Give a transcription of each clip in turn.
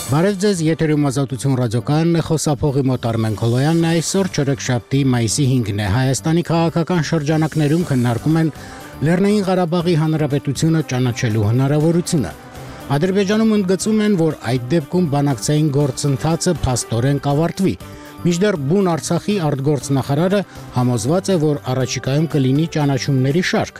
Բարև ձեզ, եթերում Ազատություն ռադիոկայանն է, խոսափողի մոտ Արմեն Քոլոյանն է, այսօր չորեքշաբթի մայիսի 5-ն է, Հայաստանի քաղաքական շրջանակներում քննարկում են Լեռնային Ղարաբաղի Հանրապետությունը ճանաչելու հնարավորությունը։ Ադրբեջանում ընդգծում են, որ այդ դեպքում բանակցային գործընթացը փաստորեն կավարտվի։ Մինչդեռ բուն Արցախի արտգործնախարարը համոզված է, որ առաջիկայում կլինի ճանաչումների շարք։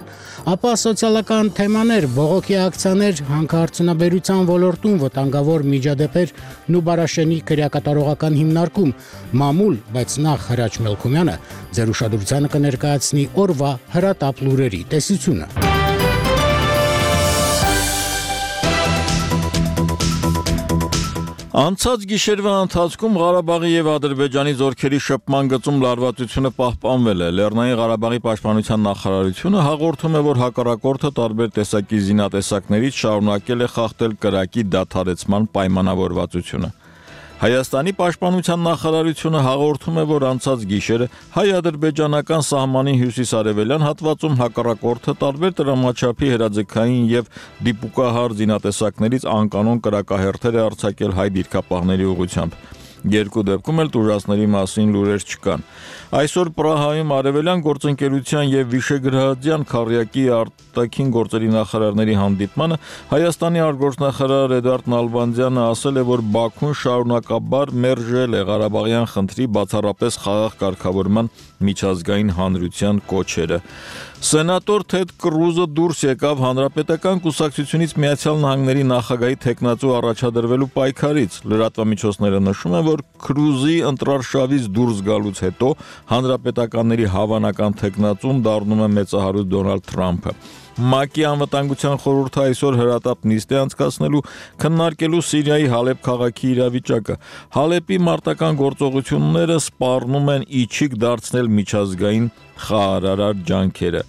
Ապա սոցիալական թեմաներ, բողոքի ակցիաներ, հանքարդյունաբերության ոլորտում վտանգավոր միջադեպեր, Նուբարաշենի քրեակատարողական հիմնարկում, մամուլ, բայց նախ Հրաչ Մելքումյանը ձեր ուշադրությանը կներկայացնի օրվա հրատապ լուրերի տեսությունը։ Անցած գիշերվա ընթացքում Ղարաբաղի եւ Ադրբեջանի զորքերի շփման գծում լարվածությունը պահպանվել է։ Լեռնային Ղարաբաղի պաշտպանության նախարարությունը հաղորդում է, որ հակառակորդը տարբեր տեսակի զինատեսակներից շարունակել է խախտել կրակի դադարեցման պայմանավորվածությունը։ Հայաստանի պաշտպանության նախարարությունը հաղորդում է, որ անցած գիշերը հայ-ադրբեջանական սահմանի հյուսիս-արևելյան հատվածում հակառակորդը տարբեր տրամաչափի հրաձգային եւ դիպուկահար զինատեսակներից անկանոն կրակահերթեր է արձակել հայ դիրքապահների ուղղությամբ։ Երկու դեպքում էլ տուժածների մասին լուրեր չկան։ Այսօր Պրահայում արևելյան գործընկերության եւ Վիշեգրադյան քառյակի արտաքին գործերի նախարարների հանդիպմանը Հայաստանի արտգործնախարար Էդուարդ Նալբանդյանը ասել է, որ Բաքուն շարունակաբար մերժել է Ղարաբաղյան խնդրի բացառապես խաղաղ կարգավորման միջազգային հանրության կոչերը։ Սենատոր Թեդ Կրուզը դուրս եկավ Հանրապետական կուսակցությունից Միացյալ Նահանգների նախագահի թեկնածու առաջադրվելու պայքարից։ Լրատվամիջոցները նշում են, որ Կրուզի ընտրարշավից դուրս գալուց հետո հանրապետականների հավանական թեկնածուն դառնում է մեծահարուստ Դոնալդ Թրամփը։ ՄԱԿ-ի անվտանգության խորհուրդը այսօր հրատապ նիստ է անցկացնելու քննարկելու Սիրիայի Հալեբ քաղաքի իրավիճակը։ Հալեպի մարտական գործողությունները սպառնում են իջիկ դարձնել միջազգային խաղաղարար ջանքերը։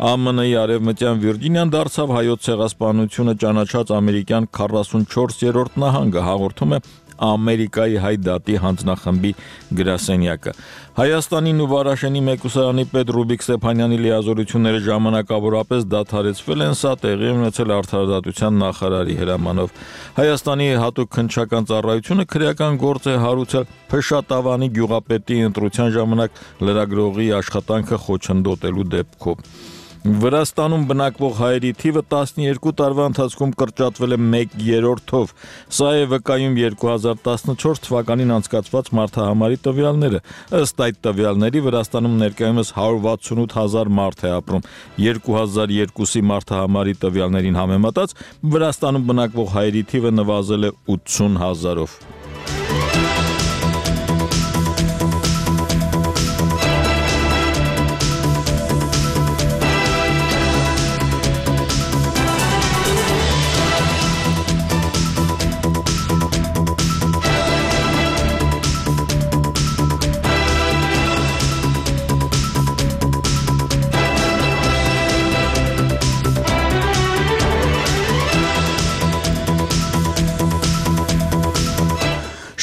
ԱՄՆ-ի արևմտյան Վիրջինիան դարձավ հայոց ցեղասպանությունը ճանաչած ամերիկյան 44-րդ նահանգը, հաղորդում է Ամերիկայի հայ դատի հանձնախմբի գրասենյակը։ Հայաստանի Նուբարաշենի մեկուսարանի պետ Ռուբիկ Ստեփանյանի լիազորությունները ժամանակավորապես դադարեցվել են, սա տեղի ունեցել արդարադատության նախարարի հրամանով։ Հայաստանի հատուկ քննչական ծառայությունը քրեական գործ է հարուցել Փշատավանի գյուղապետի ընտրության ժամանակ լրագրողի աշխատանքը խոչընդոտելու դեպքով։ Վրաստանում բնակվող հայերի թիվը 12 տարվա ընթացքում կրճատվել է 1/3-ով։ Սա է վկայում 2014 թվականին անցկացված մարդահամարի տվյալները։ Ըստ այդ տվյալների Վրաստանում ներկայումս 168 հազար մարդ է ապրում։ 2002-ի մարդահամարի տվյալներին համեմատած Վրաստանում բնակվող հայերի թիվը նվազել է 80 հազարով։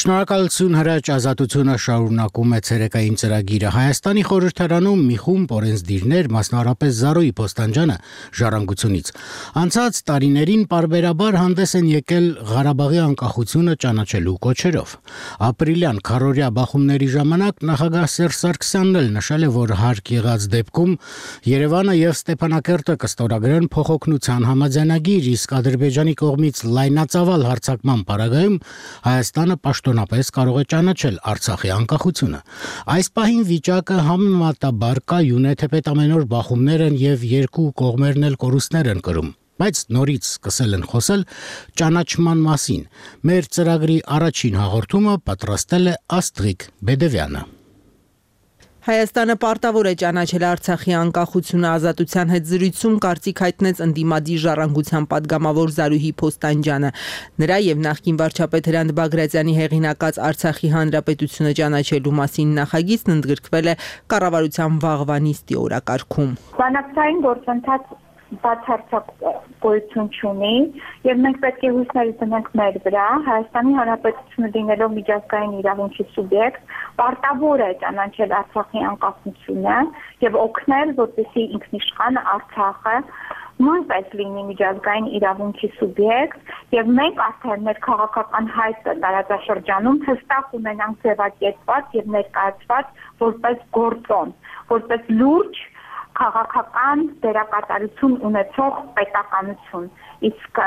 Շնորհակալություն Հրաչ, Ազատությունը շարունակում է ցերեկային ծրագիրը։ Հայաստանի խորհրդարանում մի խումբ օրենսդիրներ, մասնավորապես Զարոյի Փոստանջյանը ժառանգությունից, անցած տարիներին պարբերաբար հանդես են եկել Ղարաբաղի անկախությունը ճանաչելու կոչերով։ Ապրիլյան քառօրյա բախումների ժամանակ նախագահ Սերժ Սարգսյանն էլ նշել է, որ հարկ եղած դեպքում Երևանը եւ Ստեփանակերտը կստորագրեն փոխօգնության համաձայնագիր, իսկ Ադրբեջանի կողմից լայնածավալ հարձակման պարագայում Հայաստանը պաշտոնապես կարող է ճանաչել Արցախի անկախությունը։ Այս պահին վիճակը համեմատաբար կայուն է, թեպետ ամեն օր բախումներ են եւ երկու կողմերն էլ կորուստներ են կրում։ Բայց նորից սկսել են խոսել ճանաչման մասին։ Մեր ծրագրի առաջին հաղորդումը պատրաստել է Աստղիկ Բեդևյանը։ Հայաստանը պարտավոր է ճանաչել Արցախի անկախությունը ազատության հետ զրույցում կարծիք հայտնեց ընդդիմադիր ժառանգության падգամավոր Զարուհի Փոստանջյանը։ Նրա եւ նախկին վարչապետ Հրանտ Բագրատյանի հեղինակած Արցախի հանրապետությունը ճանաչելու մասին նախագիծն ընդգրկվել է կառավարության վաղվա նիստի օրակարգում։ Բանակցային գործընթաց բացարձակ գոյություն չունի եւ մենք պետք է հույսներ դնենք մեր վրա Հայաստանի Հանրապետությունը լինելով միջազգային իրավունքի սուբյեկտ պարտավոր է ճանաչել Արցախի անկախությունը եւ օգնել, որպեսզի ինքնիշխան Արցախը նույնպես լինի միջազգային իրավունքի սուբյեկտ եւ մենք արդեն մեր քաղաքական հայտը տարածաշրջանում հստակ ունենանք ձևակերպված եւ ներկայացված որպես գործոն, որպես լուրջ քաղաքական դերակատարություն ունեցող պետականություն, իսկ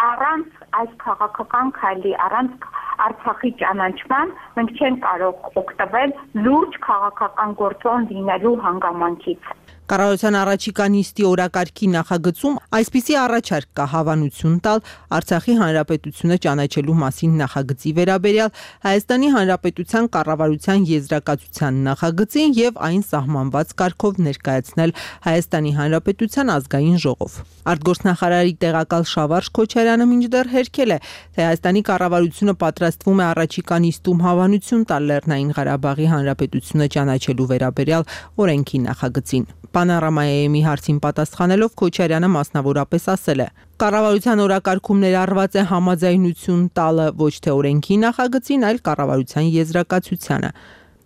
առանց այս քաղաքական քայլի, առանց Արցախի ճանաչման մենք չենք կարող օգտվել լուրջ քաղաքական գործոն լինելու հանգամանքից։ Կառավարության առաջիկա նիստի օրակարգի նախագծում այսպիսի առաջարկ կա հավանություն տալ Արցախի հանրապետությունը ճանաչելու մասին նախագծի վերաբերյալ Հայաստանի հանրապետության կառավարության եզրակացության նախագծին եւ այն սահմանված կարգով ներկայացնել Հայաստանի հանրապետության ազգային ժողով։ Արտգործնախարարի տեղակալ Շավարժ Քոչարյանը մինչդեռ հերքել է, թե Հայաստանի կառավարությունը պատրաստվում է առաջիկա նիստում հավանություն տալ Լեռնային Ղարաբաղի հանրապետությունը ճանաչելու վերաբերյալ օրենքի նախագծին։ Պանորամայի հարցին պատասխանելով Քոչարյանը մասնավորապես ասել է. Կառավարության օրակարգում ներառված է համաձայնություն տալը ոչ թե օրենքի նախագծին, այլ կառավարության եզրակացությանը։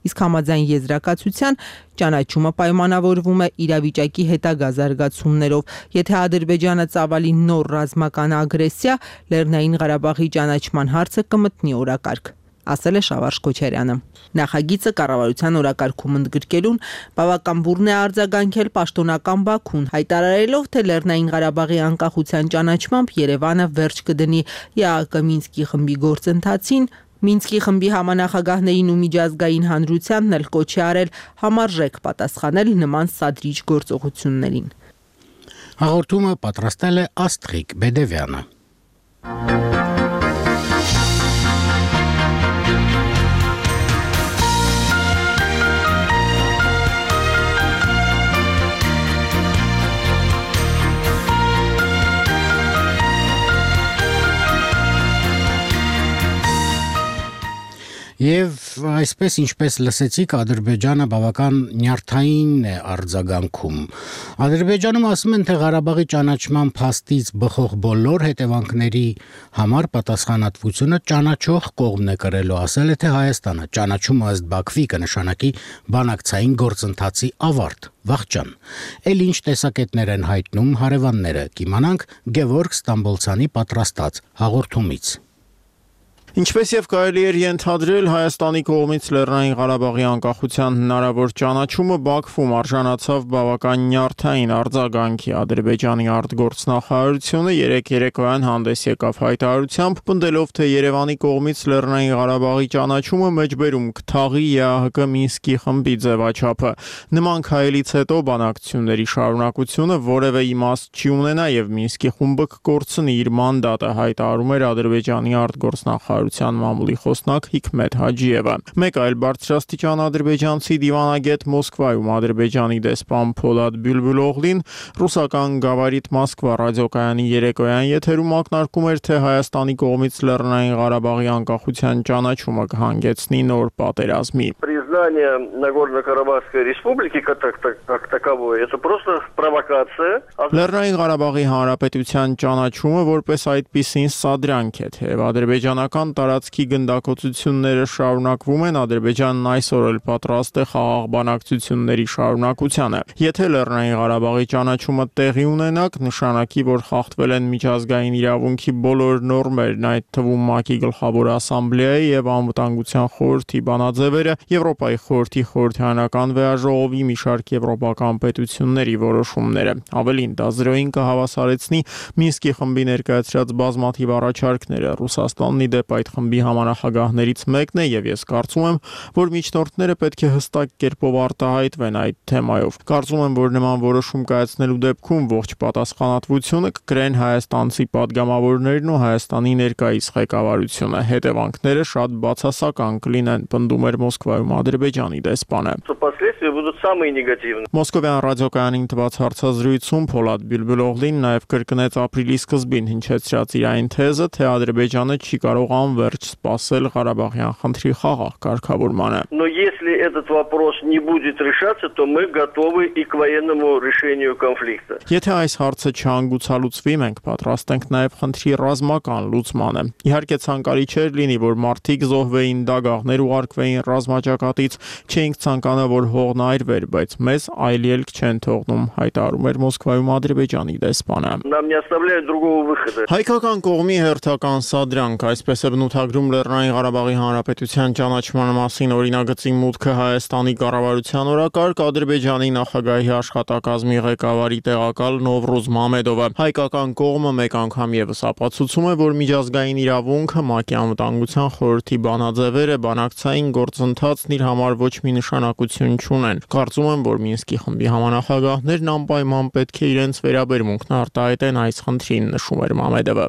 Իսկ համաձայն եզրակացության ճանաչումը պայմանավորվում է իրավիճակի հետագա զարգացումներով։ Եթե Ադրբեջանը ծավալի նոր ռազմական ագրեսիա, Լեռնային Ղարաբաղի ճանաչման հարցը կմտնի օրակարգ, ասել է Շավարժ Քոչարյանը։ Նախագիծը կառավարության օրակարգում ընդգրկելուն բավական բուռն է արձագանքել պաշտոնական Բաքուն, հայտարարելով, թե Լեռնային Ղարաբաղի անկախության ճանաչմամբ Երևանը վերջ կդնի ԵԱՀԿ Մինսկի խմբի գործընթացին, Մինսկի խմբի համանախագահներին ու միջազգային հանրությանն էլ կոչ է արել համարժեք պատասխանել նման սադրիչ գործողություններին։ Հաղորդումը պատրաստել է Աստղիկ Բեդևյանը։ Եվ այսպես ինչպես լսեցիք, Ադրբեջանը բավական նյարդային է արձագանքում։ Ադրբեջանում ասում են, թե Ղարաբաղի ճանաչման փաստից բխող բոլոր հետևանքների համար պատասխանատվությունը ճանաչող կողմն է կրելու, ասել է թե Հայաստանը։ Ճանաչումը ըստ Բաքվի կնշանակի բանակցային գործընթացի ավարտ։ Վաղճան։ Էլ ինչ տեսակետներ են հայտնում հարևանները, կիմանանք Գևորգ Ստամբոլցյանի պատրաստած հաղորդումից։ Ինչպես եւ կարելի էր ենթադրել, Հայաստանի կողմից Լեռնային Ղարաբաղի անկախության հնարավոր ճանաչումը Բաքվում արժանացավ բավական նյարդային արձագանքի։ Ադրբեջանի արտգործնախարարությունը երեկոյան հանդես եկավ հայտարարությամբ, պնդելով, թե Երևանի կողմից Լեռնային Ղարաբաղի ճանաչումը մեջբերում կթաղի ԵԱՀԿ Մինսկի խմբի ձևաչափը։ Նման քայլից հետո բանակցությունների շարունակությունը որևէ իմաստ չի ունենա եւ Մինսկի խումբը կկորցնի իր մանդատը, հայտարարում էր Ադրբեջանի արտգործնախարարությունը մամուլի խոսնակ Հիկմետ Հաջիևը։ Մեկ այլ բարձրաստիճան ադրբեջանցի դիվանագետ Մոսկվայում Ադրբեջանի դեսպան Փոլադ Բյուլբուլօղլին ռուսական Գավարիտ Մոսկվա ռադիոկայանի երեկոյան եթերում ակնարկում էր, թե Հայաստանի կողմից Լեռնային Ղարաբաղի անկախության ճանաչումը կհանգեցնի նոր պատերազմի։ Признание Нагорно-Карабахской республики как таковой это просто провокация. Լեռնային Ղարաբաղի հանրապետության ճանաչումը որպես այդպիսին սադրանք է, թե ադրբեջանական տարածքի գնդակոծությունները շարունակվում են, Ադրբեջանն այսօր էլ պատրաստ է խաղաղ բանակցությունների շարունակությանը։ Եթե Լեռնային Ղարաբաղի ճանաչումը տեղի ունենա, նշանակի, որ խախտվել են միջազգային իրավունքի բոլոր նորմերն, այդ թվում ՄԱԿ-ի գլխավոր ասամբլեայի եւ Անվտանգության խորհրդի բանաձևերը, Եվրոպայի խորհրդի խորհրդարանական վեաժողովի մի շարք եվրոպական պետությունների որոշումները։ Ավելին, դա զրոյին կհավասարեցնի Մինսկի խմբի ներկայացրած բազմաթիվ առաջարկները։ Ռուսաստանն ի դեպ այդ խմբի համանախագահներից մեկն է եւ ես կարծում եմ, որ միջնորդները պետք է հստակ կերպով արտահայտվեն այդ թեմայով։ Կարծում եմ, որ նման որոշում կայացնելու դեպքում ողջ պատասխանատվությունը կկրեն հայաստանցի падգամավորներն ու Հայաստանի ներկայիս ղեկավարությունը։ Հետևանքները շատ բացասական կլինեն, պնդում էր Մոսկվայում Ադրբեջանի դեսպանը։ Последствия будут самые негативные. Մոսկովյան ռադիոկայանին տված հարցազրույցում Փոլադ Բյուլբուլօղլին նաև կրկնեց ապրիլի սկզբին հնչեցրած իր այն թեզը, թե Ադրբեջանը չի կարող անverջ սպասել Ղարաբաղյան խնդրի խաղաղ կարգավորմանը։ Но если этот вопрос не будет решаться, то мы готовы и к военному решению конфликта. Եթե այս հարցը չհանգուցալուծվի, մենք պատրաստ ենք նաև խնդրի ռազմական լուծմանը։ Իհարկե ցանկալի չէր լինի, որ մարդիկ զոհվեին, դագաղներ ուղարկվեին ռազմաճակատից, չէինք ցանկանա, որ հողն թողնա այրվեր, բայց մեզ այլ ելք չեն թողնում, հայտարարում էր Մոսկվայում Ադրբեջանի դեսպանը։ Нам не оставляют другого выхода. Հայկական կողմի հերթական սադրանք, այսպես է բնութագրում Լեռնային Ղարաբաղի Հանրապետության ճանաչման մասին օրինագծի մուտքը Հայաստանի կառավարության օրակարգ Ադրբեջանի նախագահի աշխատակազմի ղեկավարի տեղակալ Նովրուզ Մամեդովը։ Հայկական կողմը մեկ անգամ եւս ապացուցում է, որ միջազգային իրավունքը ՄԱԿ-ի անվտանգության խորհրդի բանաձևերը բանակցային գործընթացն իր համար ոչ մի նշանակություն չունեն։ Կարծում եմ, որ Մինսկի խմբի համանախագահներն անպայման պետք է իրենց վերաբերմունքն արտահայտեն այս խնդրին, նշում էր Մամեդովը։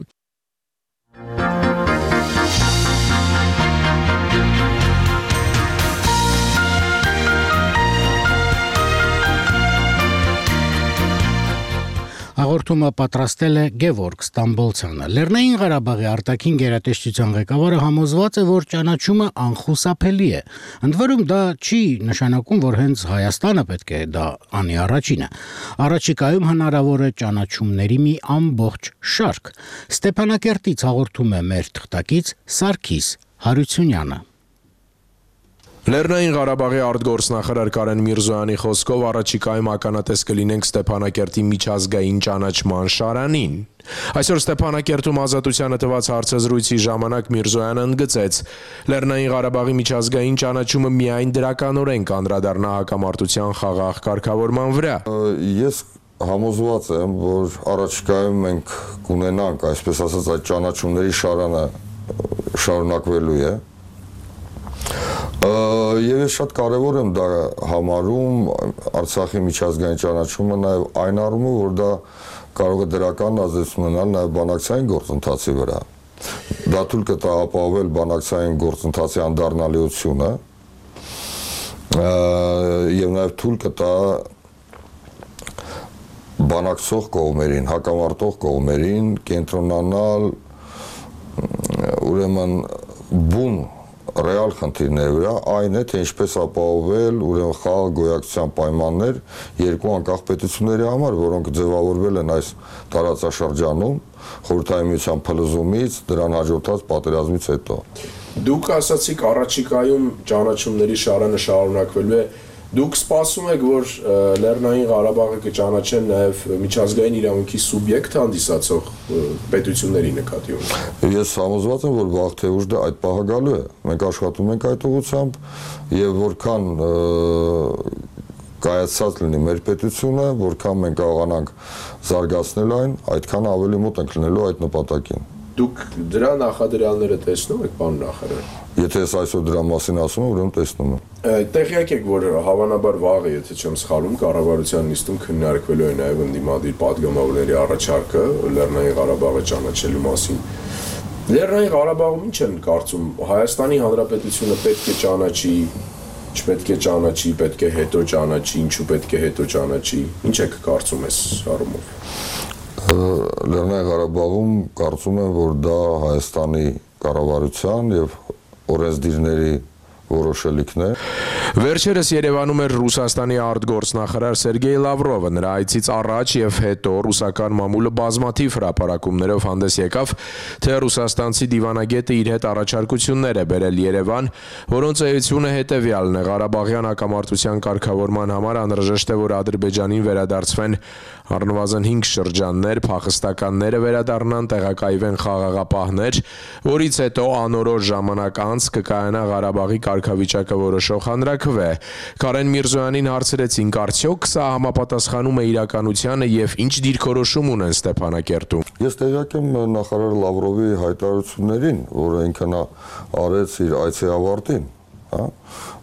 Հաղորդումը պատրաստել է Գևորգ Ստամբոլցյանը։ Լեռնային Ղարաբաղի արտաքին գերատեսչության ղեկավարը համոզված է, որ ճանաչումը անխուսափելի է։ Ընդ որում դա չի նշանակում, որ հենց Հայաստանը պետք է դա անի առաջինը։ Առաջիկայում հնարավոր է ճանաչումների մի ամբողջ շարք։ Ստեփանակերտից հաղորդում է մեր թղթակից Սարգիս Հարությունյանը։ Լեռնային Ղարաբաղի արտգործնախարար Կարեն Միրզոյանի խոսքով առաջիկայում ականատես կլինենք Ստեփանակերտի միջազգային ճանաչման շարանին։ Այսօր Ստեփանակերտում Ազատությանը տված հարցազրույցի ժամանակ Միրզոյանը ընդգծեց. Լեռնային Ղարաբաղի միջազգային ճանաչումը միայն դրականորեն կանդրադառնա հակամարտության խաղաղ կարգավորման վրա։ Ես համոզված եմ, որ առաջիկայում մենք կունենանք, այսպես ասած, այդ ճանաչումների շարանը շարունակվելու է։ Եվ ես շատ կարևոր եմ դա համարում Արցախի միջազգային ճանաչումը նաև այն առումով, որ դա կարող է դրական ազդեցություն ունենալ նաև բանակցային գործընթացի վրա։ Դա թույլ կտա ապահովել բանակցային գործընթացի անդառնալիությունը եւ նաև թույլ կտա բանակցող կողմերին, հակամարտող կողմերին կենտրոնանալ ուրեմն բուն ռեալ խնդիրների վրա, այն է, թե ինչպես ապահովել ուրեմն խաղաղ գոյակցության պայմաններ երկու անկախ պետությունների համար, որոնք ձևավորվել են այս տարածաշրջանում Խորհրդային Միության փլուզումից, դրան հաջորդած պատերազմից հետո։ Դուք ասացիք առաջիկայում ճանաչումների շարանը շարունակվելու է։ Դուք սպասում եք, որ Լեռնային Ղարաբաղը կճանաչեն նաև միջազգային իրավունքի սուբյեկտ հանդիսացող պետությունների նկատի ունի։ Ես համոզված եմ, որ վաղ թե ուշ դա այդ պահը գալու է։ Մենք աշխատում ենք այդ ուղղությամբ եւ որքան կայացած լինի մեր պետությունը, որքան մենք կարողանանք զարգացնել այն, այդքան ավելի մոտ ենք լինելու այդ նպատակին։ Դուք դրա նախադրյալները տեսնում եք, պարոն նախարար։ Եթե ես այսօր դրա մասին ասում եմ, ուրեմն տեսնում եմ։ Տեղյակ եք, որ հավանաբար վաղը, եթե չեմ սխալվում, կառավարության նիստում քննարկվելու է նաև ընդդիմադիր падգամավորների առաջարկը Լեռնային Ղարաբաղը ճանաչելու մասին։ Լեռնային Ղարաբաղում ինչ են կարծում, Հայաստանի Հանրապետությունը պետք է ճանաչի, չպետք է ճանաչի, պետք է հետո ճանաչի, ինչու պետք է հետո ճանաչի։ Ինչ եք կարծում այս առումով։ Լեռնային Ղարաբաղում կարծում եմ, որ դա Հայաստանի կառավարության եւ օրենսդիրների որոշելիքն է։ Վերջերս Երևանում էր Ռուսաստանի արտգործնախարար Սերգեյ Լավրովը։ Նրա այցից առաջ եւ հետո ռուսական մամուլը բազմաթիվ հրապարակումներով հանդես եկավ, թե ռուսաստանցի դիվանագետը իր հետ առաջարկություններ է բերել Երևան, որոնց էությունը հետեւյալն է. Ղարաբաղյան հակամարտության կարգավորման համար անհրաժեշտ է, որ Ադրբեջանին վերադարձվեն առնվազն 5 շրջաններ, փախստականները վերադառնան, տեղակայվեն խաղաղապահներ, որից հետո անորոշ ժամանակ անց կկայանա Ղարաբաղի կարգավիճակը որոշող հանրաքվե։ Կարեն Միրզոյանին հարցրեցինք, արդյոք սա համապատասխանում է իրականությանը եւ ինչ դիրքորոշում ունեն Ստեփանակերտում։ Ես տեղյակ եմ նախարար Լավրովի հայտարարություններին, որը ինքն արեց իր այցի ավարտին, հա,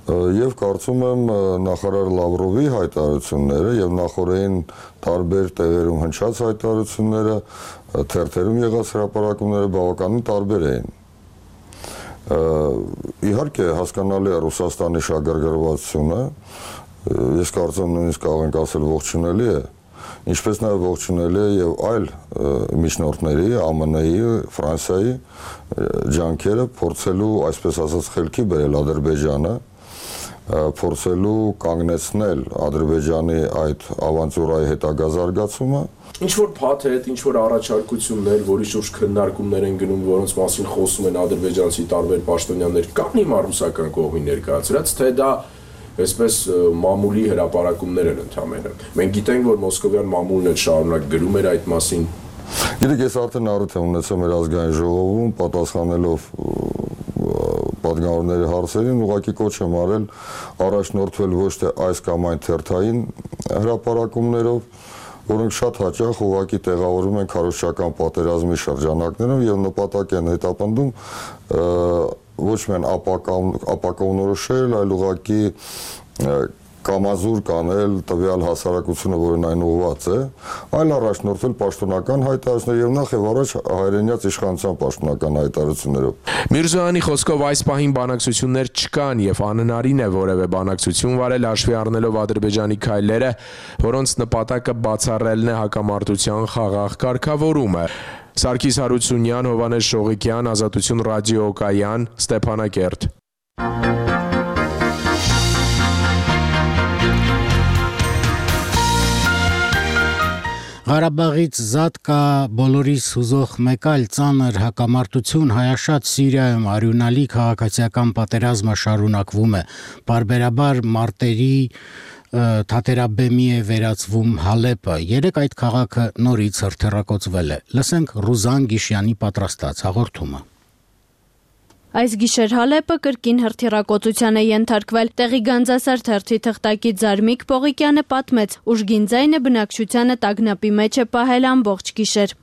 եւ կարծում եմ նախարար Լավրովի հայտարարությունները եւ նախորդին տարբեր տեղերում հնչած հայտարարությունները, թերթերում եղած հրապարակումները բավականին տարբեր էին։ Իհարկե հասկանալի է Ռուսաստանի շահագրգռվածությունը, ես կարծում եմ նույնիսկ կարող ենք ասել ողջունելի է, ինչպես նաև ողջունելի է եւ այլ միջնորդների, ԱՄՆ-ի, Ֆրանսիայի ջանքերը փորձելու, այսպես ասած, խելքի բերել Ադրբեջանը, փորձելու կանգնեցնել Ադրբեջանի այդ ավանտյուրայի հետագա զարգացումը։ Ինչ որ փաթեթ, ինչ որ առաջարկություններ, որի շուրջ քննարկումներ են գնում, որոնց մասին խոսում են ադրբեջանցի տարբեր պաշտոնյաներ, կան հիմա ռուսական կողմի ներկայացրած, թե դա այսպես մամուլի հրապարակումներ են ընդամենը։ Մենք գիտենք, որ մոսկովյան մամուլն էլ շարունակ գրում էր այդ մասին։ Գիտեք, ես արդեն առիթ եմ ունեցել մեր ազգային ժողովում պատասխանելով պատգամավորների հարցերին, ուղղակի կոչ եմ արել առաջնորդվել ոչ թե այս կամ այն թերթային հրապարակումներով, որոնք շատ հաճախ ուղղակի տեղավորում են քարոզչական պատերազմի շրջանակներում եւ նպատակ են հետապնդում ոչ միայն ապակողնորոշել, այլ ուղղակի կամազուր կանել տվյալ հասարակությունը, որն այն ուղղված է, այլ առաջնորդվել պաշտոնական հայտարարություններով եւ նախ եւ առաջ հայրենիաց իշխանության պաշտոնական հայտարարություններով։ Միրզոյանի խոսքով այս պահին բանակցություններ չկան եւ անհնարին է որևէ բանակցություն վարել հաշվի առնելով Ադրբեջանի քայլերը, որոնց նպատակը բացառելն է հակամարտության խաղաղ կարգավորումը։ Սարգիս Հարությունյան, Հովհաննես Շողիկյան, Ազատություն ռադիոկայան, Ստեփանակերտ։ Ղարաբաղից զատ կա բոլորիս հուզող մեկ այլ ծանր հակամարտություն հայաշատ Սիրիայում արյունալի քաղաքացիական պատերազմը շարունակվում է։ Պարբերաբար մարտերի թատերաբեմի է վերածվում Հալեպը։ Երեք այդ քաղաքը նորից հրթիռակոծվել է։ Լսենք Ռուզան Գիշյանի պատրաստած հաղորդումը։ Այս գիշեր Հալեպը կրկին հրթիռակոծության է ենթարկվել։ Տեղի Գանձասար թերթի թղթակից Զարմիկ Պողիկյանը պատմեց, ուժգին ձայնը բնակչությանը տագնապի մեջ է պահել ամբողջ գիշեր։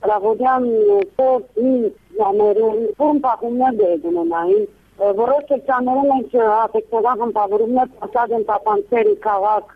Որոշ շրջաններում ենք հատեկնական խմբավորումներ փոխած են տապանցերի քաղաք,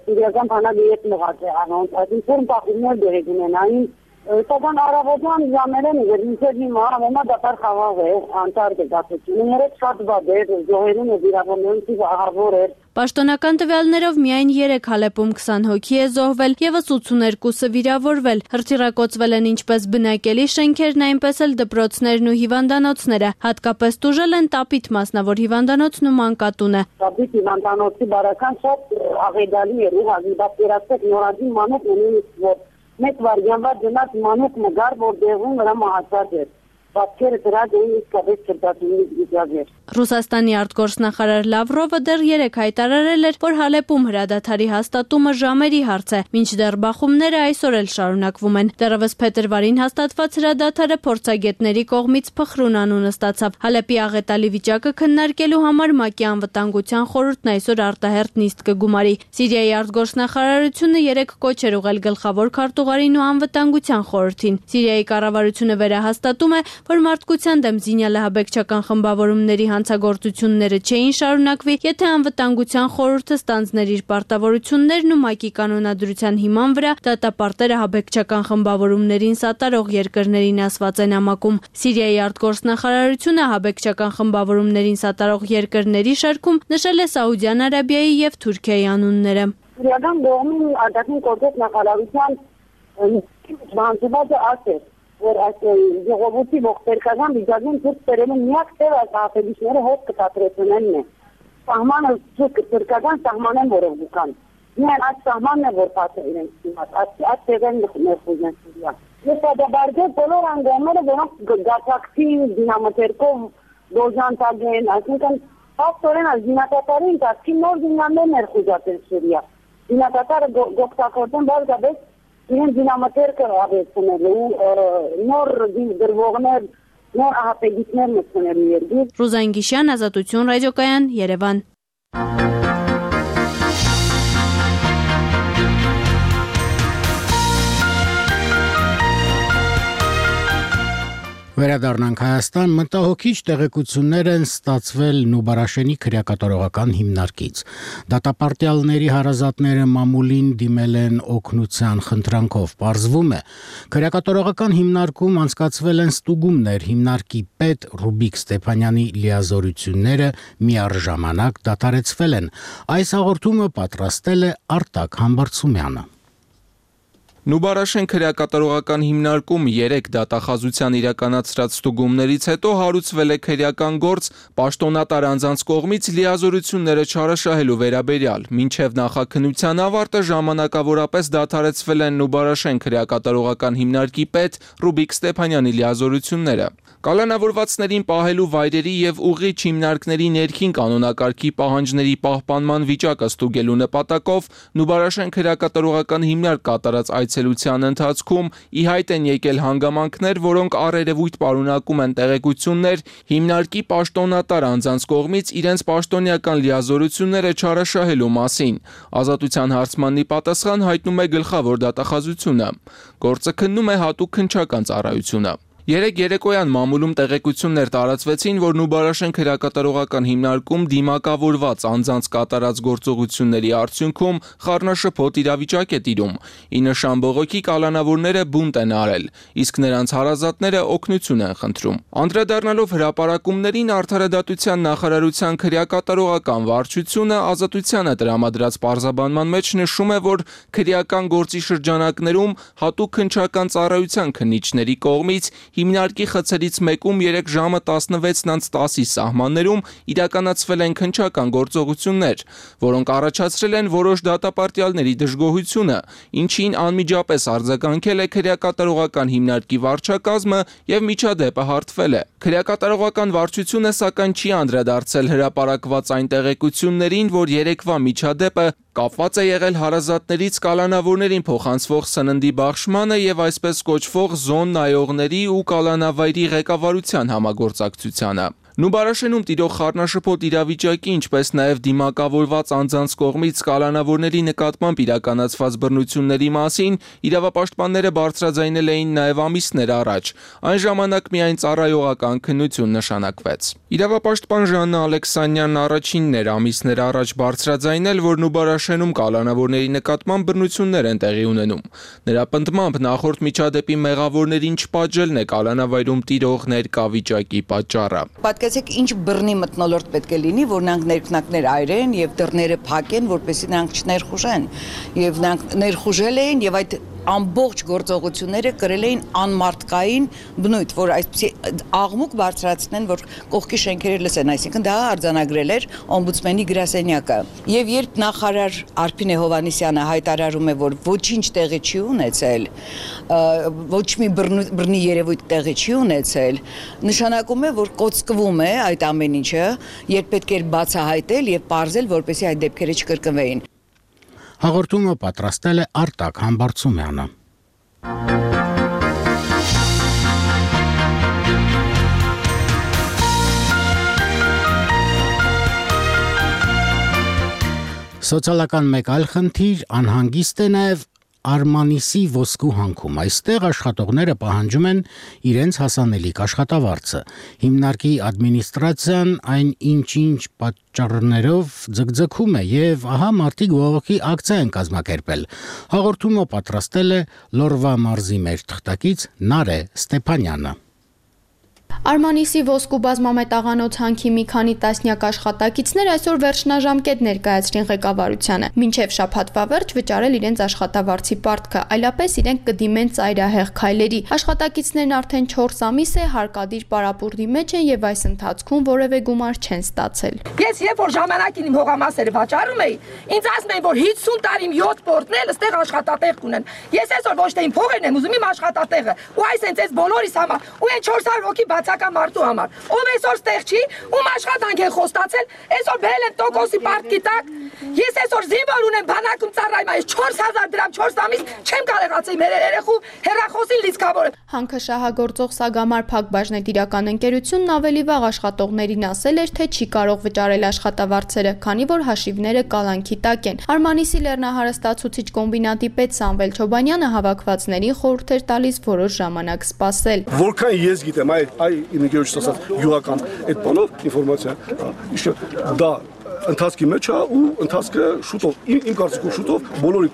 սիրիական բանակի հետ մղած է անոնց, այսինքն պահումներ դերեկ ունենային, սակայն առավոտյան ժամերեն մինչև հիմա ամենա դատարկ խաղաղ է, անտարդ է դատությունը, երեք շատ վատ էր, զոհերուն ու վիրավորներուն թիվը ահավոր էր։ Պաշտոնական տվյալներով միայն 3 Հալեպում 20 հոգի է զոհվել, եւս 82-ը վիրավորվել։ Հրթիռակոծվել են ինչպես բնակելի շենքերն, այնպես էլ դպրոցներն ու հիվանդանոցները։ Հատկապես տուժել են Տապիտ մասնավոր հիվանդանոցն ու մանկատունը։ Տապիտ հիվանդանոցի բարական շատ աղետալի էր, ուղղակի պատկերացրեք նորածին մանուկ ունի, որ մեկ վարյանվա գնաց մանուկ մգար, որ դեղում վրա մահացած էր։ Պատկերը դրած էին իսկապես չրտացումից վիճակեր։ Ռուսաստանի արտգործնախարար Լավրովը դեռ 3 հայտարարել էր, որ Հալեպում հրադադարի հաստատումը ժամերի հարց է, մինչդեռ բախումները այսօր էլ շարունակվում են։ Դեռևս փետրվարին հաստատված հրադադարը փորձագետների կողմից փխրուն անունը ստացավ։ Հալեպի աղետալի վիճակը քննարկելու համար ՄԱԿ-ի անվտանգության խորհուրդն այսօր արտահերթ նիստ կգումարի։ Սիրիայի արտգործնախարարությունը 3 կոչ էր ուղղել գլխավոր քարտուղարին ու անվտանգության խորհրդին։ Սիրիայի կառավարությունը վերահաստատում է, որ մարդկության դեմ զինյալահաբեկչական խմբավորումների հանցագործությունները չէին շարունակվի, եթե անվտանգության խորհուրդը ստանձներ իր պարտավորություններն ու ՄԱԿ-ի կանոնադրության հիման վրա դատապարտերը ահաբեկչական խմբավորումներին սատարող երկրներին ասված են նամակում։ Սիրիայի արտգործնախարարությունը ահաբեկչական խմբավորումներին սատարող երկրների շարքում նշել է Սաուդյան Արաբիայի եւ Թուրքիայի անունները։ Սիրիական կողմի արտաքին գործոց նախարարության բանջվածը ասել որ այս ժողովրդի ողբերգական վիճակին ցույց բերելու միակ տեղը ահաբեկիչները հոտ կտատրեցնելն է։ Սահմանը թուրքական սահման են որով կան։ Միայն այդ սահմանն է որ փաթ է իրենց դիմաց։ Այդ տեղն ներխուժեն Սիրիա։ Ես դաբարգել բոլոր անգամները որոնք գացակցին դինամոթերկով դոժանտագեն, այսինքն փաստորեն զինատատարի ընթացքի նոր զինաններ ներխուժացել Սիրիա։ Զինատատարը գոկտակորտեն բարձրապես իրեն դինամոթերկը ավեցնելու նոր դրվողներ, նոր ահաբեկիչներ մտցնելու երկիր։ Ռուզան Գիշյան, Ազատություն ռադիոկայան, Երևան։ Վերադառնանք Հայաստան, մտահոգիչ տեղեկություններ են ստացվել Նուբարաշենի քրեակատարողական հիմնարկից։ Դատապարտյալների հարազատները մամուլին դիմել են օգնության խնդրանքով։ Պարզվում է, քրեակատարողական հիմնարկում անցկացվել են ստուգումներ, հիմնարկի պետ Ռուբիկ Ստեփանյանի լիազորությունները միառժամանակ դադարեցվել են։ Այս հաղորդումը պատրաստել է Արտակ Համբարձումյանը։ Նուբարաշեն քրեակատարողական հիմնարկում 3 դատախազության իրականացրած ստուգումներից հետո հարուցվել է քրեական գործ պաշտոնատար անձանց կողմից լիազորությունները չարաշահելու վերաբերյալ։ Մինչև նախաքննության ավարտը ժամանակավորապես դադարեցվել են Նուբարաշեն քրեակատարողական հիմնարկի պետ Ռուբիկ Ստեփանյանի լիազորությունները։ Կալանավորվածներին պահելու վայրերի եւ ուղիղ հիմնարկների ներքին կանոնակարգի պահանջների պահպանման վիճակը ստուգելու նպատակով Նուբարաշեն քրեակատարողական հիմնարկ կատարած այցելության ընթացքում ի հայտ են եկել հանգամանքներ, որոնք առերևույթ պարունակում են տեղեկություններ հիմնարկի պաշտոնատար անձանց կողմից իրենց պաշտոնյական լիազորությունները չարաշահելու մասին։ Ազատության հարցմանի պատասխան հայտնում է գլխավոր դատախազությունը։ Գործը քննում է հատուկ քննչական ծառայությունը։ Երեկ երեկոյան մամուլում տեղեկություններ տարածվեցին, որ Նուբարաշեն քրեակատարողական հիմնարկում դիմակավորված անձանց կատարած գործողությունների արդյունքում խառնաշփոթ իրավիճակ է տիրում։ Ի նշան բողոքի կալանավորները բունտ են արել, իսկ նրանց հարազատները օգնություն են խնդրում։ Անդրադառնալով հրապարակումներին Արդարադատության նախարարության քրեակատարողական վարչությունը Ազատությանը տրամադրած պարզաբանման մեջ նշում է, որ քրեական գործի շրջանակներում հատուկ քննչական ծառայության քննիչների կողմից հիմնարկի խցերից մեկում երեկ ժամը 16:10-ի սահմաններում իրականացվել են քննչական գործողություններ, որոնք առաջացրել են որոշ դատապարտյալների դժգոհությունը, ինչին անմիջապես արձագանքել է քրեակատարողական հիմնարկի վարչակազմը եւ միջադեպը հարթվել է։ Քրեակատարողական վարչությունը սակայն չի անդրադարձել հրապարակված այն տեղեկություններին, որ երեկվա միջադեպը կապված է եղել հարազատներից կալանավորներին փոխանցվող սննդի բաշխմանը եւ այսպես կոչվող զոն նայողների ու կալանավայրի ղեկավարության համագործակցությանը։ Նուբարաշենում տիրող խառնաշփոթ իրավիճակի, ինչպես նաև դիմակավորված անձանց կողմից կալանավորների նկատմամբ իրականացված բռնությունների մասին իրավապաշտպանները բարձրաձայնել էին նաև ամիսներ առաջ։ Այն ժամանակ միայն ծառայողական քննություն նշանակվեց։ Իրավապաշտպան Ժաննա Ալեքսանյանն առաջինն էր ամիսներ առաջ բարձրաձայնել, որ Նուբարաշենում կալանավորների նկատմամբ բռնություններ են տեղի ունենում։ Նրա պնդմամբ նախորդ միջադեպի մեղավորներին չպատժելն է կալանավայրում տիրող ներկա վիճակի պատճառը։ Պատկերացեք ինչ բռնի մթնոլորտ պետք է լինի, որ նրանք ներքնակներ այրեն եւ դռները փակեն, որպեսզի նրանք չներխուժեն։ Եվ նրանք ներխուժել էին եւ այդ ամբողջ գործողությունները կրել էին անմարտկային բնույթ, որ այսպեսի աղմուկ բարձրացնեն, որ կողքի շենքերը լսեն, այսինքն դա արձանագրել էր օմբուդսմենի գրասենյակը։ Եվ երբ նախարար Արփին Հովհաննիսյանը հայտարարում է, որ ոչինչ տեղի չի ունեցել, ոչ մի բռնի երևույթ տեղի չի ունեցել, նշանակում է, որ կոծկվում է այդ ամեն ինչը, երբ պետք էր բացահայտել եւ պարզել, որպեսզի այդ դեպքերը չկրկնվեին։ Հաղորդումը պատրաստել է Արտակ Համբարձումյանը։ Սոցիալական մեկ այլ խնդիր անհանգիստ է նաև Արմանիսի ոսկու հանքում։ Այստեղ աշխատողները պահանջում են իրենց հասանելիք աշխատավարձը։ Հիմնարկի ադմինիստրացիան այն ինչ-ինչ պատճառներով ձգձգում է եւ ահա մարտի գողոքի ակցիա են կազմակերպել։ Հաղորդումը պատրաստել է Լորվա մարզի մեր թղթակից Նարե Ստեփանյանը։ Արմանիսի ոսկու բազմամետաղանոց հանքի մի քանի տասնյակ աշխատակիցներ այսօր վերջնաժամկետ ներկայացրին ղեկավարությանը։ Մինչև շաբաթվա վերջ վճարել իրենց աշխատավարձի պարտքը, այլապես իրենք կդիմեն ծայրահեղ քայլերի։ Աշխատակիցներն արդեն 4 ամիս է հարկադիր պարապուրդի մեջ են եւ այս ընթացքում որևէ գումար չեն ստացել։ Ես երբ որ ժամանակին իմ հողամասերը վաճառում էի, ինձ ասում էին, որ 50 տարի 7 պորտնել ըստեղ աշխատատեղ կունեն։ Ես այսօր ոչ թե իմ փողերն եմ ուզում, իմ աշխատատեղը։ Ու այս հենց այս բոլորիս համար, ու այն 400 հոգի բացական մարդու համար, ով այսօր ստեղ չի, ում աշխատանք են խոստացել, այսօր բերել են տոկոսի պարտքի տակ։ Ես այսօր զինվոր ունեմ բանակում ծառայում, այս 4000 դրամ 4 ամիս չեմ կարողացել մեր երեխու հեռախոսին լիցքավորել։ Հանքը շահագործող Սագամար Փակbaşնետիրական ընկերությունն ավելի վաղ աշխատողներին ասել էր, թե չի կարող վճարել աշխատավարձերը, քանի որ հաշիվները կալանքի տակ են։ Արմանիսի լեռնահարստացուցիչ կոմբինատի պետ Սամվել Չոբանյանը հավաքվածներին խորհուրդ էր տալիս որոշ ժամանակ սպասել։ Որքան ես գիտեմ, այ ինգեջս ասած յուղական այդ բանով ինֆորմացիա, դա ընթացքի մեջ է ու ընթացքը շուտով իմ կարծիքով շուտով բոլորի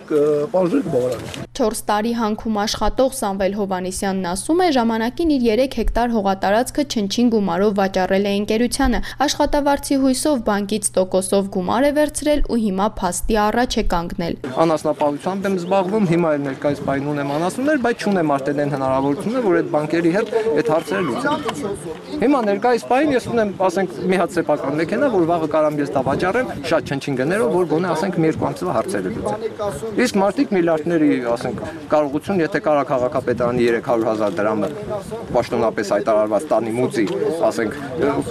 պահանջները կբավարարեն։ 4 տարի հանքում աշխատող Սամվել Հովհաննիսյանն ասում է, ժամանակին իր 3 հեկտար հողատարածքը չնչին գումարով վաճառել է ընկերությանը։ Աշխատավարձի հույսով բանկից տոկոսով գումար է վերցրել ու հիմա փաստի առաջ է կանգնել։ Անասնապահությամբ եմ զբաղվում, հիմա էլ ներկայիս պայն ունեմ անասուններ, բայց չունեմ արդեն այն հնարավորությունը, որ այդ բանկերի հետ այդ հարցերը լուծեմ։ Հիմա ներկայիս պայն ես ունեմ, ասենք, մի հատ սեփական մեքենա, որ վաղը կարամ ես դա վաճառեմ շատ չնչին գներով, որ գոնե ասենք մի երկու ամսվա հարցերը լուծեմ։ Իսկ մարդիկ միլիարդների, ասենք կարողություն, եթե կարա քաղաքապետարանի 300,000 դրամը պաշտոնապես հայտարարված տանի մուծի, ասենք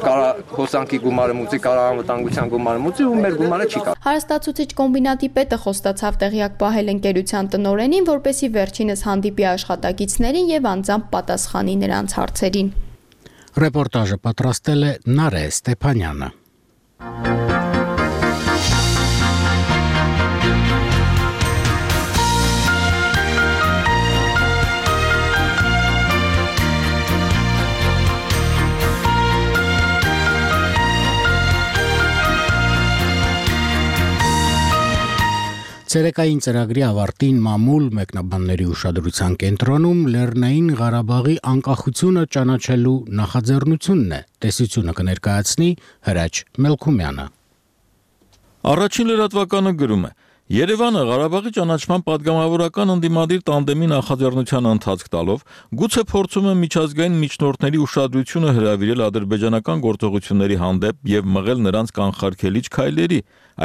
կարա հոսանքի գումարը մուծի, կարա անվտանգության գումարը մուծի ու մեր գումարը չի կա։ Հարստացուցիչ կոմբինատի պետը խոստացավ տեղյակ պահել ընկերության տնօրենին, որպեսզի վերջինս հանդիպի աշխատակիցներին եւ անձամբ պատասխանի նրանց հարցերին։ Ռեպորտաժը պատրաստել է Նարե Ստեփանյանը։ Ցերեկային ծրագրի ավարտին մամուլ մեկնաբանների ուշադրության կենտրոնում Լեռնային Ղարաբաղի անկախությունը ճանաչելու նախաձեռնությունն է, տեսությունը կներկայացնի Հրաչ Մելքումյանը։ Առաջին լրատվականը գրում է. Երևանը Ղարաբաղի ճանաչման падգամավորական ընդդիմադիր տանդեմի նախաձեռնության ընթացք տալով գուցե փորձում է միջազգային միջնորդների ուշադրությունը հրավիրել ադրբեջանական գործողությունների հանդեպ եւ մղել նրանց կանխարգելիչ քայլերի,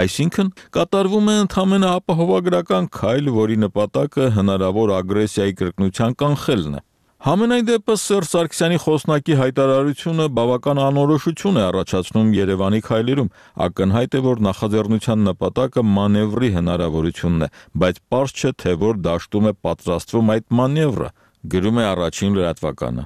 այսինքն կատարվում է ընդհանրապես ապահովագրական քայլ, որի նպատակը հնարավոր ագրեսիայի կրկնության կանխելն է։ Համենայն դեպս Սերժ Սարգսյանի խոսնակի հայտարարությունը բավական անորոշություն է առաջացնում Երևանի քայլերում, ակնհայտ է, որ նախաձեռնության նպատակը մանևրի հնարավորությունն է, բայց պարզ չէ, թե որ դաշտում է պատրաստվում այդ մանևրը, գրում է առաջին լրատվականը։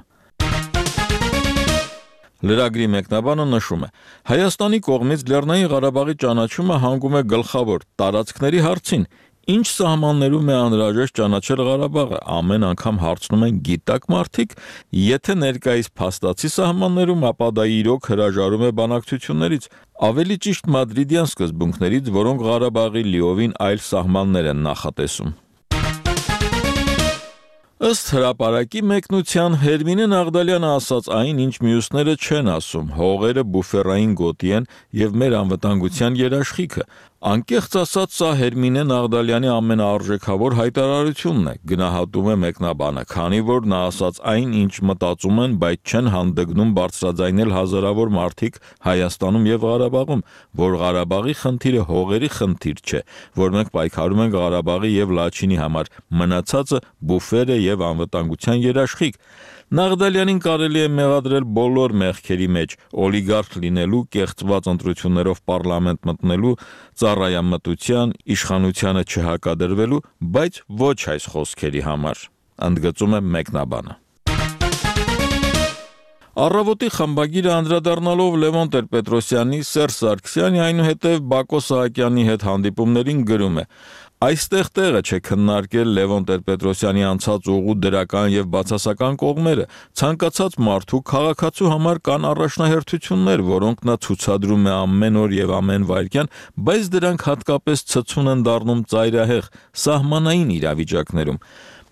Լրագրի մեկնաբանը նշում է. Հայաստանի կողմից Լեռնային Ղարաբաղի ճանաչումը հանգում է գլխավոր տարածքների հարցին։ Ինչ սահմաններում է անհրաժեշտ ճանաչել Ղարաբաղը, ամեն անգամ հարցնում են գիտակ մարդիկ, եթե ներկայիս փաստացի սահմաններում, ապա դա իրոք հրաժարում է բանակցություններից, ավելի ճիշտ մադրիդյան սկզբունքներից, որոնք Ղարաբաղի լիովին այլ սահմաններ են նախատեսում։ Ըստ հրապարակի մեկնության Հերմինե Նաղդալյանը ասաց այն, ինչ մյուսները չեն ասում, հողերը բուֆերային գոտի են եւ մեր անվտանգության երաշխիքը։ Անկեղծ ասած, սա Հերմինե Նաղդալյանի ամենաարժեքավոր հայտարարությունն է, գնահատում է մեկնաբանը, քանի որ նա ասաց այն, ինչ մտածում են, բայց չեն հանդգնում բարձրաձայնել հազարավոր մարդիկ Հայաստանում եւ Ղարաբաղում, որ Ղարաբաղի խնդիրը հողերի խնդիր չէ, որ մենք պայքարում ենք Ղարաբաղի եւ Լաչինի համար, մնացածը բուֆեր է եւ անվտանգության երաշխիք։ Նաղդալյանին կարելի է մեղադրել բոլոր մեղքերի մեջ՝ օլիգարխ լինելու, կեղծված ընտրություններով պարլամենտ մտնելու, ծառայամտության, իշխանությանը չհակադրվելու, բայց ոչ այս խոսքերի համար, ընդգծում է մեկնաբանը։ Առավոտի խմբագիրը անդրադառնալով Լևոն Տեր-Պետրոսյանի, Սերժ Սարգսյանի, այնուհետև Բակո Սահակյանի հետ հանդիպումներին գրում է. Այստեղ տեղը չէ քննարկել Լևոն Տեր-Պետրոսյանի անցած ուղու դրական եւ բացասական կողմերը, ցանկացած մարդու քաղաքացու համար կան առաջնահերթություններ, որոնք նա ցուցադրում է ամեն օր եւ ամեն վայրկյան, բայց դրանք հատկապես ցցուն են դառնում ծայրահեղ, սահմանային իրավիճակներում։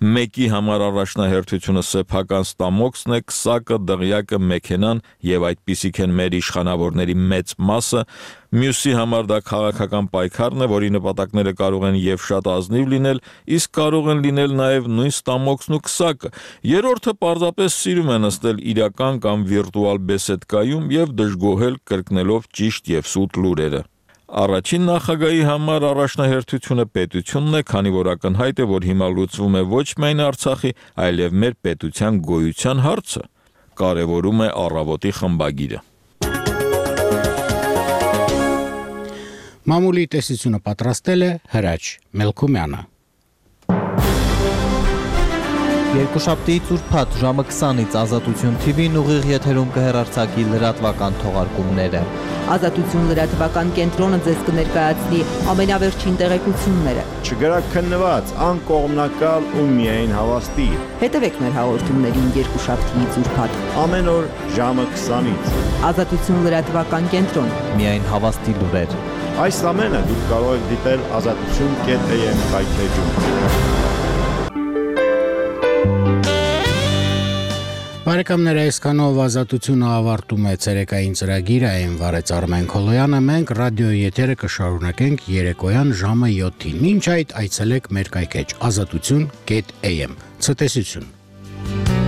Մեկի համար առաջնահերթությունը սեփական ստամոքսն է, քսակը, դղյակը, մեքենան եւ այդպիսիք են մեր իշխանավորների մեծ մասը, մյուսի համար դա քաղաքական պայքարն է, որի նպատակները կարող են եւ շատ ազնիվ լինել, իսկ կարող են լինել նաեւ նույն ստամոքսն ու քսակը։ Երրորդը պարզապես սիրում է նստել իրական կամ վիրտուալ բեսեդկայում եւ դժգոհել կրկնելով ճիշտ եւ սուտ լուրերը։ Առաջին նախագահի համար առաջնահերթությունը պետությունն է, քանի որ ակնհայտ է, որ հիմա լուծվում է ոչ միայն Արցախի, այլև մեր պետության գոյության հարցը, կարևորում է Առավոտի խմբագիրը։ Մամուլի տեսությունը պատրաստել է Հրաչ Մելքումյանը։ Երկուշաբթիից ուրբաթ ժամը 20-ից Ազատություն TV-ն ուղիղ եթերում կհեռարձակի լրատվական թողարկումները։ Ազատություն լրատվական կենտրոնը ձեզ կներկայացնի ամենավերջին տեղեկությունները։ Չգրակ քննված, անկողմնակալ ու միայն հավաստի։ Հետևեք մեր հաղորդումներին երկուշաբթիից ուրբաթ։ Ամեն օր ժամը 20-ից։ Ազատություն լրատվական կենտրոն։ Միայն հավաստի լուրեր։ Այս ամենը դուք կարող եք դիտել azatutun.am վայրէջում։ Բարեկամներ, այսքանով Ազատությունը ավարտում է ցերեկային ծրագիրը, այն վարեց Արմեն Քոլոյանը, մենք ռադիոյի եթերը կշարունակենք երեկոյան ժամը 7-ին։ Մինչ այդ այցելեք մեր կայքեջ azatutun.am։ Ցտեսություն։